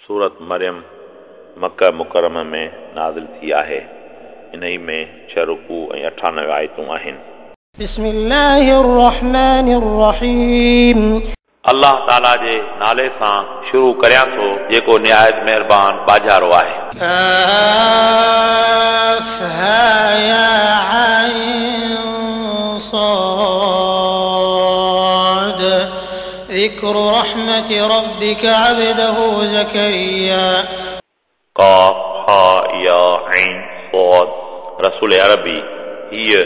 सूरत मरियम मक्का मुकर्रम में नाज़िल थी आहे। इन्हई में 6 रुकू ऐं 98 आयतूं आहिनि। بسم الله الرحمن الرحيم। अल्लाह ताला जे नाले सां शुरू करियां थो जेको निहायत महिरबान बाजारो आहे। काफ हा या ऐन صاد ذكر رحمة ربك عبده زكريا। काफ हा या ऐन صاد रसूल अरबी हीअ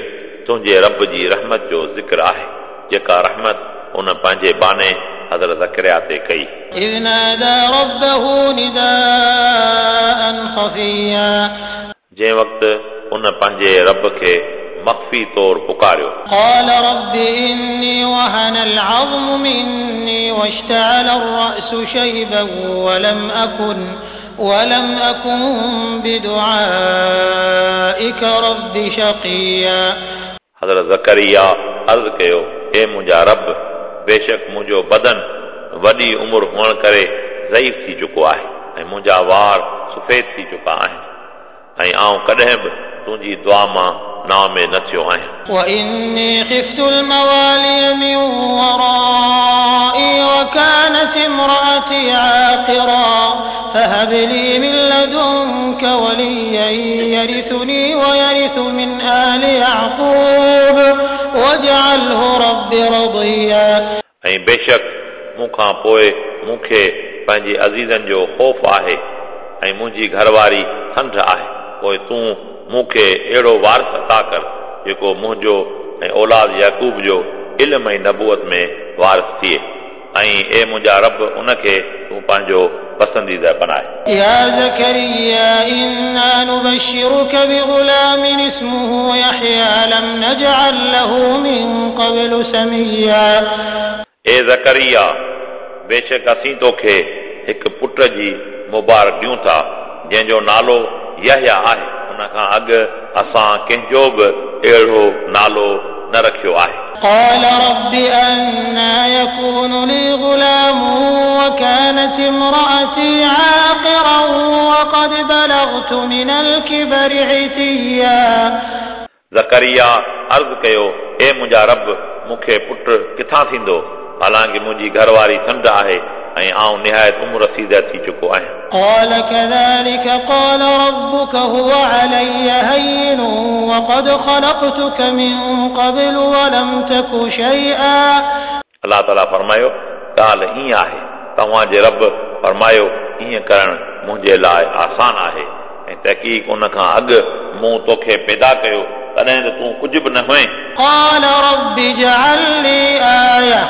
तुंहिंजे रब जी रहमत जो ज़िक्र आहे जेका रहमत उन पंहिंजे बाने हज़रत ज़करिया ते कई। إذ نادى ربه نداء خفيا। जंहिं वक़्तु उन पंहिंजे रब खे मख़फ़ी तौर पुकारियो। قال رب إني وهن العظم مني واشتعل الرأس شيبا ولم أكن بدعائك رب شقيا। हज़रत ज़करिया अर्ज़ कयो, ए मुंहिंजा रब, बेशक मुंहिंजो बदन वॾी उमिरि हुअण करे ज़ईफ़ थी चुको आहे ऐं मुंहिंजा वार सफ़ेद थी चुका आहिनि ऐं आउं कॾहिं बि तुंहिंजी दुआ मां नाउमेद न थियो आहियां। وإني خفت الموالي من ورائي وكانت امرأتي عاقرا فهب لي من لدنك وليا يرثني ويرث من آل يعقوب واجعله رب رضيا। ऐं बेशक मूंखां पोइ मूंखे पंहिंजे अज़ीज़नि जो ख़ौफ़ आहे ऐं मुंहिंजी घरवारी संढ आहे, पोइ तूं मूंखे अहिड़ो वारिस अता कर जेको मुंहिंजो ऐं औलाद याकूब जो इल्म ऐं नबूअत में वारिस थिए ऐं ए मुंहिंजा रब, उनखे तूं पंहिंजो पसंदीदा बनाए। يا زكريا إنا نبشرك بغلام اسمه يحيى لم نجعل له من قبل سميا। ए ज़करिया, बेशक असीं तोखे हिकु पुट जी मुबारक ॾियूं था जंहिंजो नालो यहया आहे। उन खां अॻु असां कंहिंजो बि अहिड़ो नालो न रखियो आहे। قال رب أنى يكون لي غلام وكانت امرأتي عاقرا وقد بلغت من الكبر عتيا। ज़करिया अर्ज़ कयो, ए मुंहिंजा रब, मूंखे पुट किथां थींदो, हालांकि मुंहिंजी घरवारी संढ आहे ऐं आउं निहायत उमिरि रसीदा थी चुको आहियां। قال كذلك قال ربك هو علي هين وقد خلقتك من قبل ولم تك شيئا। अल्लाह ताला फरमायो, ॻाल्हि ईअं आहे, तव्हांजे रब फरमायो, ईअं करणु मुंहिंजे लाइ आसान आहे ऐं तहक़ीक़ उन खां अॻु मूं तोखे पैदा कयो तॾहिं त तूं कुझु बि न हुए। قال رب اجعل لي آية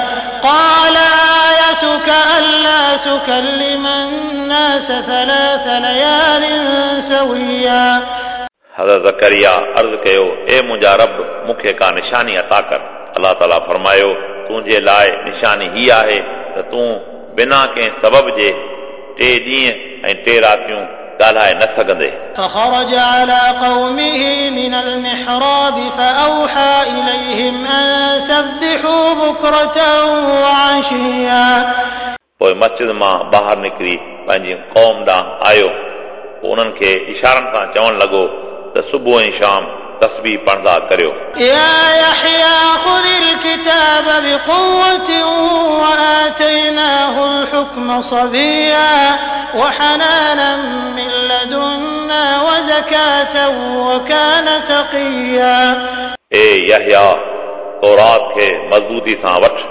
قال آيتك ألا تكلم الناس 3 ليال سويا। हज़रत ज़करिया अर्ज़ कयो, ए मुंहिंजा रब, मूंखे का निशानी अता कर। अल्लाह ताला फरमायो, तुंहिंजे लाइ निशानी हीअ आहे त तूं बिना कंहिं सबब जे 3 ॾींहं ऐं 3 रातियूं ॻाल्हाए न सघंदे। فخرج على قومه من المحراب فأوحى إليهم أن سبحوا بكرة وعشيا। पोइ मस्जिद मां ॿाहिरि निकिरी पंहिंजी क़ौम ॾांहुं आयो, पोइ उन्हनि खे इशारनि सां चवणु लॻो त सुबुह ऐं शाम तस्बीह पढ़ंदा करियो। يا يحيى خذ الكتاب بقوة وآتيناه الحكم صبيا وحنانا من لدنا وزكاة وكان تقيا। ए यहया, तौरात खे मज़बूती सां वठि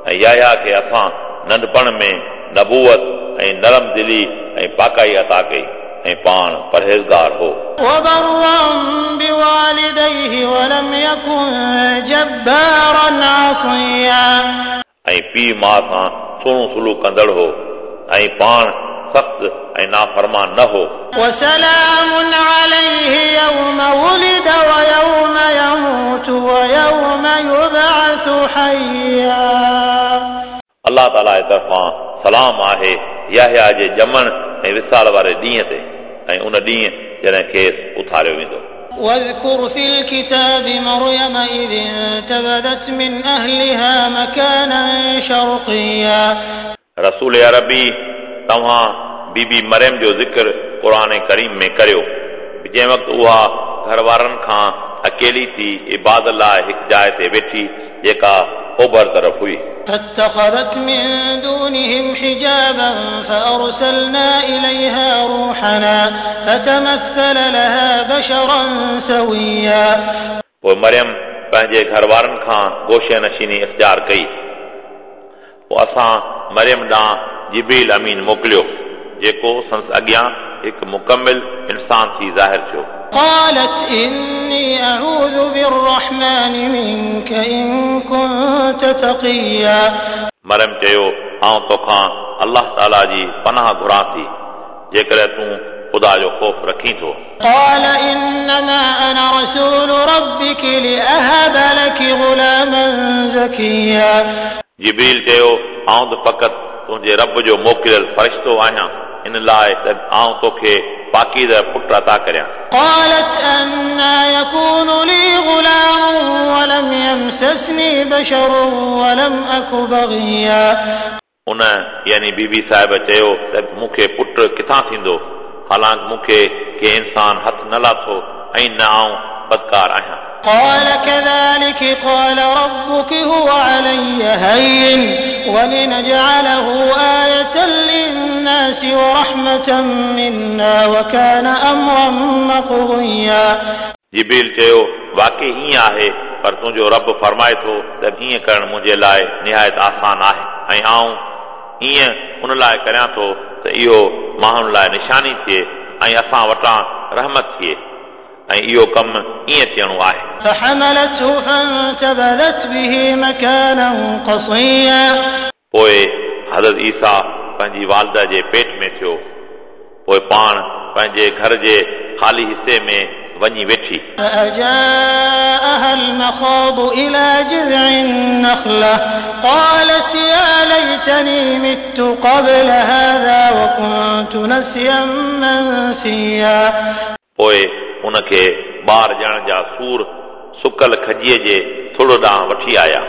ऐं यहया खे असां नंढपण में नबूअत ऐं नरम दिली ऐं पाकाई अता कई ऐं पाण परहेज़गार हो। وبرا بوالديه ولم يكن جبارا عصيا। ऐं पीउ माउ सां सुहिणो सुलूक कंदड़ हो ऐं पाण सख़्तु ऐं नाफ़रमान न हो। وسلام عليه يوم ولد ويوم يموت ويوم يبعث حيا। अल्लाह ताला जे तरफ़ां सलाम आहे यहया जे ॼमण ऐं विसाल वारे ॾींहं ते ऐं उन ॾींहुं जॾहिं खेसि उथारियो वेंदो। واذكر في الكتاب مريم إذ انتبذت من أهلها مكانا شرقيا। रसूल अरबी, तव्हां बीबी मरियम जो ज़िक्र क़ुर करीम में करियो। जंहिं वक़्तु उहा घर वारनि खां अकेली थी इबादत लाइ हिकु जाइ ते वेठी जेका ओभर तरफ़ हुई। فاتخذت من دونهم حجابا فأرسلنا إليها روحنا فتمثل لها بشرا سويا। पोइ मरियम पंहिंजे घर वारनि खां गोशे नशीनी इख़्तियार कई। पोइ असां मरियम ॾांहुं जिब्रील अमीन मोकिलियो जेको संदसि अॻियां हिकु मुकमिल इंसान थी ज़ाहिर थियो। قالت إني أعوذ بالرحمن منك إن كنت تقيا। मरियम चयो आउं तोखां अल्लाह ताला जी पनाह घुरां थी जेकॾहिं तूं ख़ुदा जो ख़ौफ़ रखीं थो। قال إنما أنا رسول ربك لأهب لك غلاما زكيا। जिब्रील चयो आउं त फ़क़ति तुंहिंजे रब जो मोकिलियल फ़रिश्तो आहियां इन लाइ त आउं तोखे पाकीज़ पुट अता करियां। قالت أنى يكون لي غلام ولم يمسسني بشر ولم أك بغيا। उन यानी बीबी साहिब चयो त मूंखे पुट किथां थींदो, हालांकि मूंखे कंहिं इंसान हथ न लाथो ऐं न आउं बदकार आहियां। قال كذلك قال ربك هو علي هين ولنجعله آية للناس ورحمة منا وكان أمرا مقضيا। जिब्रील चयो वाकई ईअं आहे, पर तुंहिंजो रब फरमाए थो त ईअं करणु मुंहिंजे लाइ निहायत आसान आहे ऐं आउं ईअं उन लाइ करियां थो त इहो माण्हुनि लाइ निशानी थिए ऐं असां वटां रहमत थिए ऐं इहो कमु ईअं थियणो आहे। فحملته فانتبذت به مكانا قصيا। पोइ हज़रत ईसा पंहिंजी वालदा जे पेट में थियो, पोइ पाण पंहिंजे घर जे ख़ाली हिसे में वञी वेठी। فأجاءها المخاض إلى جذع النخلة قالت يا ليتني مت قبل هذا وكنت نسيا منسيا। पोइ उनखे ॿार ॼणण जा सूर सुकल खजीअ जे थुड़ ॾांहुं वठी आया।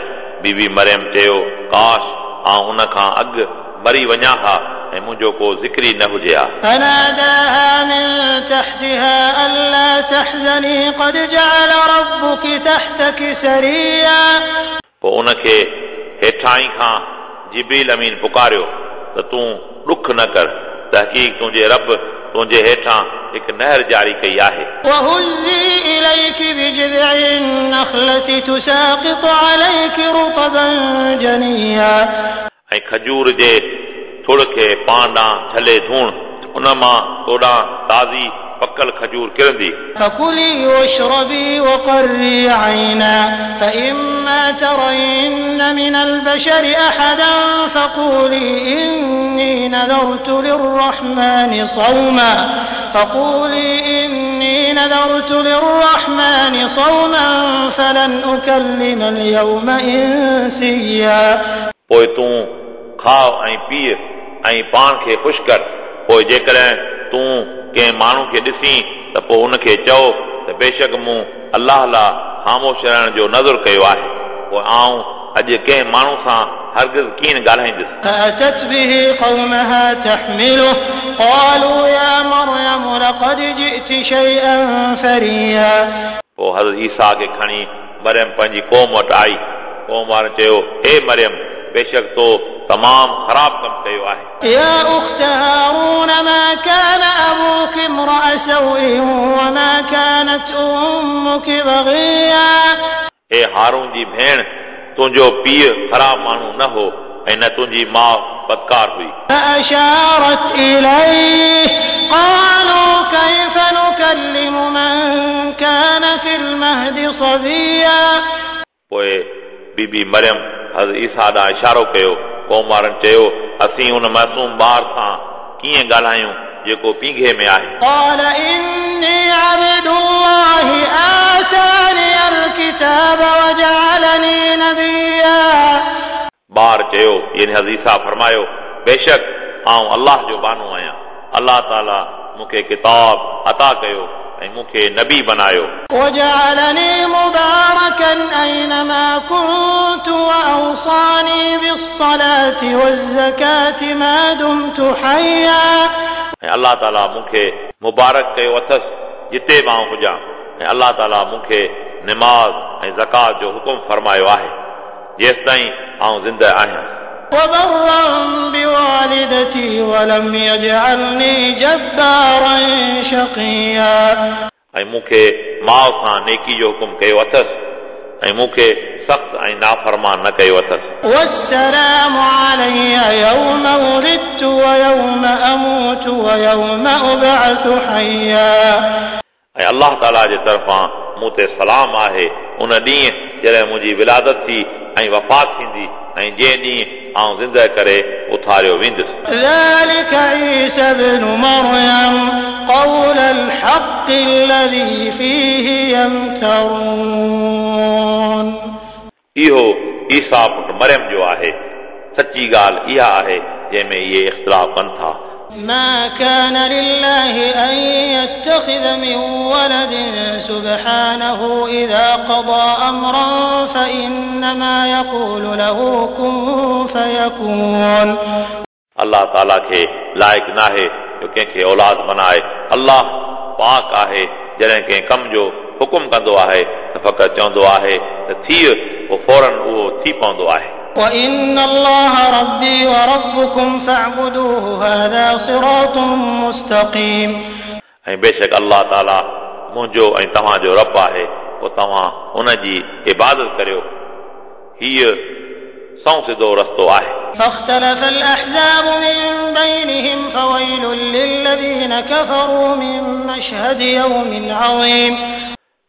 बीबी मरियम चयो काश आउं उन खां अॻु मरी वञा हा ऐं मुंहिंजो को ज़िक्र ई न हुजे हा। فناداها من تحتها ألا تحزني قد جعل ربك تحتك سريا। पोइ उनखे हेठां ई खां जिब्रील अमीन पुकारियो त तूं ॾुख न कर, तहक़ीक़ तुंहिंजे रब तुंहिंजे हेठां हिकु नहर जारी कई आहे। وهزي إليك بجذع النخلة تساقط عليك رطبا جنيا। ऐं खजूर जे थुड़ खे पाण ॾांहुं छले धूण, उन मां तोॾां ताज़ी पकल खजूर किरंदी। فكلي واشربي وقري عينا فإما ترين من البشر أحدا فقولي إني نذرت للرحمن صوما فقولي إني نذرت للرحمن صوما فلن أكلم اليوم إنسيا। पोइ तूं खाओ ऐं पीउ ऐं पाण खे ख़ुशि कर, पोइ जेकॾहिं तूं कंहिं माण्हू खे ॾिसीं त पोइ उनखे चओ त बेशक मूं अल्लाह लाइ ख़ामोश रहण जो नज़र कयो आहे, पोइ आउं अॼु कंहिं माण्हू सां हरगिज़ कीअं ॻाल्हाईंदुसि। فأتت به قومها تحمله قالوا يا مريم لقد جئت شيئا فريا। पोइ हज़रत ईसा खे खणी मरियम पंहिंजी क़ौम वटि आई। क़ौम वारनि चयो हे मरियम, बेशक तो तमामु ख़राबु कमु कयो आहे। يا أخت هارون ما كان أبوك امرأ سوء وما كانت أمك بغيا। हे हारून जी भेण, तुंहिंजो पीउ ख़राबु माण्हू न हो ऐं न तुंहिंजी माउ बदकार हुई। فأشارت إليه قالوا كيف نكلم من كان في المهد صبيا। पोइ बीबी मरियम हज़रत ईसा ॾांहुं इशारो कयो। क़ौम वारनि चयो असीं उन मासूम ॿार सां कीअं ॻाल्हायूं जेको पींघे में आहे। قال إني عبد الله آتاني الكتاب وجعلني نبيا। ॿार चयो यानी हज़रत ईसा फरमायो बेशक आउं अल्लाह जो बानो आहियां, अल्लाह ताला मूंखे किताब अता कयो ऐं मूंखे नबी बनायो। وجعلني مباركا أينما كنت وأوصاني بالصلاة والزكاة ما دمت حيا। ऐं अलाह ताला मूंखे मुबारक कयो अथसि जिते मां हुजां, ऐं अलाह ताला मूंखे निमाज़ ऐं ज़कात जो हुकुम फरमायो आहे जेसि ताईं आउं ज़िंदा आहियां। وبرا بوالدتي ولم يجعلني جبارا شقيا। ऐं मूंखे माउ सां नेकी जो हुकुम कयो अथसि ऐं मूंखे सख़्तु ऐं नाफ़रमान न कयो अथसि। والسلام علي يوم ولدت ويوم أموت ويوم أبعث حيا। ऐं अलाह ताला जे तरफ़ां मूं ते सलाम आहे उन ॾींहुं जॾहिं मुंहिंजी विलादत थी ऐं वफ़ात थींदी ऐं जंहिं ॾींहुं आउं ज़िंदा करे उथारियो वेंदुसि। ذلك عيسى ابن مريم قول الحق الذي فيه يمترون। इहो ईसा पुट मरियम जो आहे, सची ॻाल्हि इहा आहे जंहिंमें इहे इख़्तिलाफ़ कनि था। ما كان لله أن يتخذ من ولد سبحانه إذا قضى أمرا فإنما يقول له كن فيكون। अलाह ताला खे लाइक़ नाहे जो कंहिंखे औलाद बनाए। अलाह पाक आहे, जॾहिं कंहिं कम जो हुकुम कंदो आहे त फ़क़ति चवंदो आहे त थी, पोइ फ़ौरन उहो थी पवंदो आहे। وإن الله ربي وربكم فاعبدوه هذا صراط مستقيم। ऐं बेशक अलाह ताला मुंहिंजो ऐं तव्हांजो रब आहे, पोइ तव्हां उन जी इबादत करियो। हीअ सव सिधो रस्तो आहे। فاختلف الأحزاب من بينهم فويل للذين كفروا من مشهد يوم عظيم।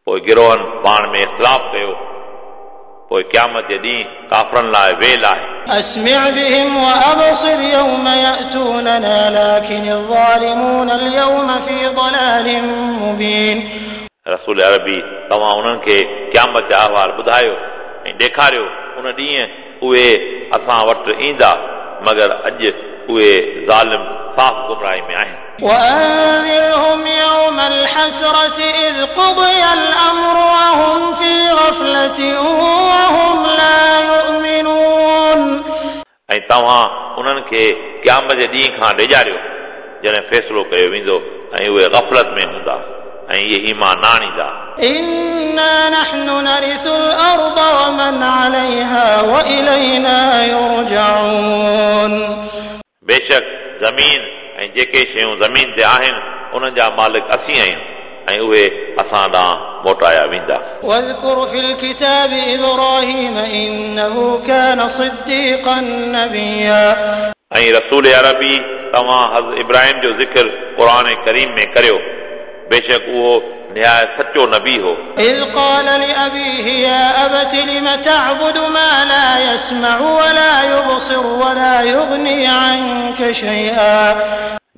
पोइ गिरोहनि पाण में इख़्तिलाफ़ कयो, पोइ क़यामत जे ॾींहुं काफ़रनि लाइ वेल आहे। أسمع بهم وأبصر يوم يأتوننا لكن الظالمون اليوم في ضلال مبين। रसूल अरबी तव्हां उन्हनि खे क़यामत जा अहवाल ॿुधायो ऐं ॾेखारियो, उन ॾींहुं उहे असां वटि ईंदा, मगर अॼु उहे ज़ालिम साफ़ गुमराही में आहिनि। وأنذرهم يوم الحسرة إذ قضي الأمر وهم في غفلة وهم لا يؤمنون। ऐं तव्हां उन्हनि खे क़यामत जे ॾींहं खां ॾेजारियो जॾहिं फ़ैसिलो कयो वेंदो ऐं उहे ग़फ़लत में हूंदा ऐं इहे ईमान न आणींदा। إنا نحن نرث الأرض ومن عليها وإلينا يرجعون। बेशक ज़मीन ऐं जेके शयूं ज़मीन ते आहिनि उन्हनि जा मालिक असीं आहियूं ऐं उहे असां ॾांहुं मोटाया वेंदा। واذكر في الكتاب إبراهيم إنه كان صديقا نبيا। ऐं रसूल अरबी तव्हां हज़रत इब्राहिम जो ज़िक्र क़ुर करीम में करियो, बेशक उहो निहायत सचो नबी हो। إذ قال لأبيه يا أبت لم تعبد ما لا يسمع ولا يبصر ولا يغني عنك شيئا।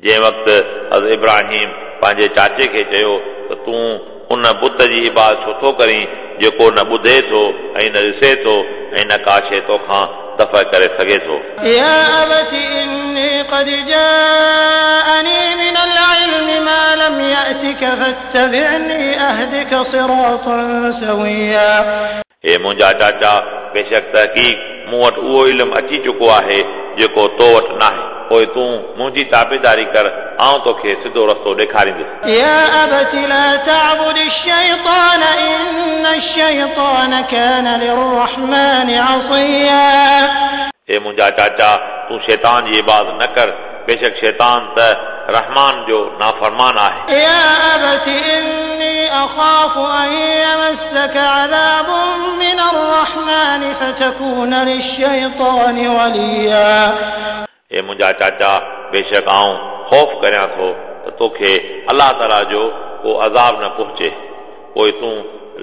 जंहिं वक़्तु हज़रत इब्राहिम पंहिंजे चाचे खे चयो त तूं उन बुत जी इबादत छो थो करीं जेको न ॿुधे थो ऐं न ॾिसे थो ऐं न का शइ तोखां दफ़ा करे सघे थो। يا أبت إني قد جاءني من العلم ما لم يأتك فاتبعني أهدك صراطا سويا। हे मुंहिंजा चाचा, बेशक तहक़ीक़ मूं वटि उहो इल्मु अची चुको आहे जेको तो वटि नाहे, पोइ तूं मुंहिंजी ताबेदारी कर, आउं तोखे सिधो रस्तो ॾेखारींदुसि। يا أبت لا تعبد الشيطان إن الشيطان كان للرحمن عصيا। हे मुंहिंजा चाचा, तूं शैतान जी इबादत न कर, बेशक शैतान त रहमान जो नाफ़रमान आहे। يا أبت إني أخاف أن يمسك عذاب من الرحمن فتكون للشيطان وليا। हे मुंहिंजा चाचा, बेशक आउं ख़ौफ़ करियां थो त तोखे अलाह ताला जो को अज़ाब न पहुचे, पोइ तूं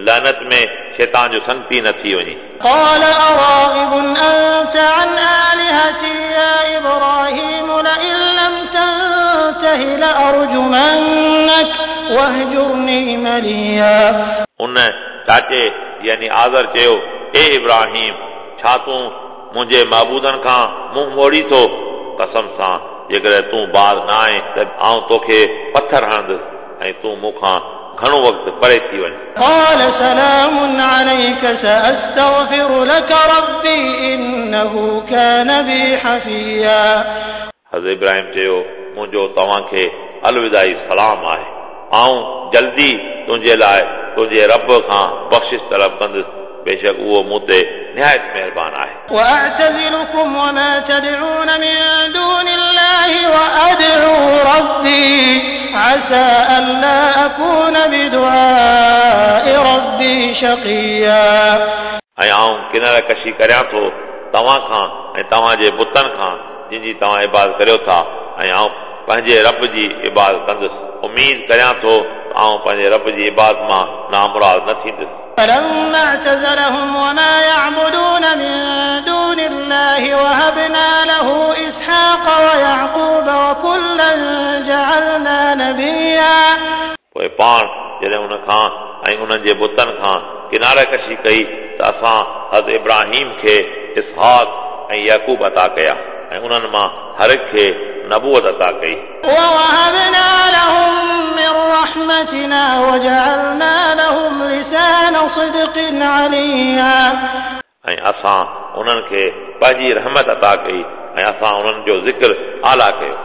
लानत में शैतान जो संगती न थी वञी। قال أراغب أنت عن آلهتي يا إبراهيم لئن لم تنته لأرجمنك واهجرني مليا. उन चाचे यानी आज़र चयो, ए इब्राहिम, छा तूं मुंहिंजे महबूदनि खां मुंहुं मोड़ी थो? कसम सां जेकॾहिं तूं बाज़ न आहीं त आउं तोखे पथर हणंदुसि ऐं तूं मूंखां घणो वक़्तु परे थी वञ। قال سلام عليك سأستغفر لك ربي إنه كان بي حفيا. हज़रत इब्राहिम चयो, मुंहिंजो तव्हांखे अलविदाई सलाम आहे, आऊं जल्दी तुंहिंजे लाइ तुंहिंजे रब खां बख़्शिश तलब कंदुसि, बेशक उहो मूं ते निहायत महिरबान आहे। وأعتزلكم وما تدعون من دون الله وأدعو ربي عسى ألا أكون بدعاء ربي شقيا. ऐं आऊं किनारा कशी करियां थो तव्हां खां ऐं तव्हांजे बुतनि खां जिन जी तव्हां इबादत करियो था, ऐं आऊं पंहिंजे रब जी इबादत कंदुसि। उमेद करियां थो त आऊं पंहिंजे रब जी इबादत मां नामुराद न थींदुसि। فلما اعتزلهم وما يعبدون من دون الله وهبنا له إسحاق ويعقوب وكلا جعلنا نبيا. पोइ पाण जॾहिं उन खां ऐं उन्हनि जे बुतनि खां किनारा कशी कई त असां हज़रत इब्राहिम खे इसहाक ऐं याकूब अता कया ऐं उन्हनि मां हर हिक खे नबूअत अता कई। ووهبنا لهم من رحمتنا وجعلنا لهم لسان صدق عليا. ऐं असां उन्हनि खे पंहिंजी रहमत अता कई ऐं असां उन्हनि जो ज़िक्र आला कयो।